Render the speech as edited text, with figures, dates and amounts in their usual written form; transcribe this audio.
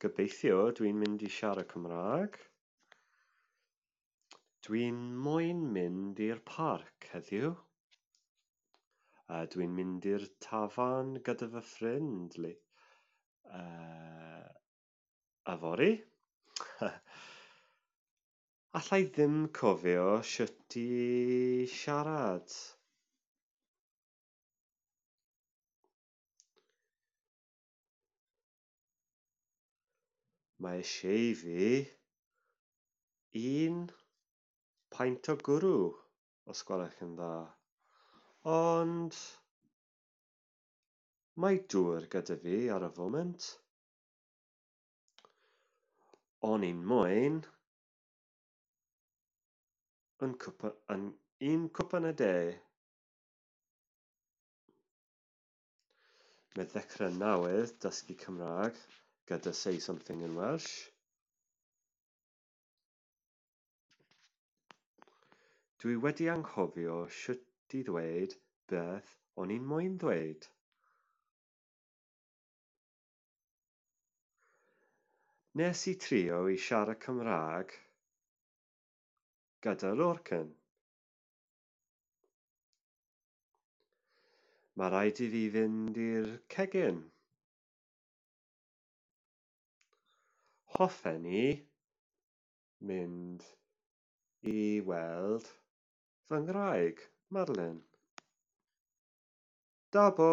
Gobeithio dwi'n mynd i siarad Cymraeg. Dwi'n moyn mynd i'r parc heddiw. Dwi'n mynd i'r tafarn gyda fy ffrind yfory. Alla i ddim cofio sut i siarad. Mae eisiau fi un peint o gwrw, os gwelwch yn dda. Ond mae dŵr gyda fi ar y foment. O'n i'n moyn un cwpan o de. Mae ddechrau newydd dysgu Cymraeg gyda Say Something in Welsh. Dwi wedi anghofio sut i ddweud beth o'n i'n moyn ddweud. Nes i trio i siarad Cymraeg gyda Lorcan. Mae rhaid i fi fynd i'r cegin. Hoffen i mynd i weld fy ngwraig, Madeline. Dabo!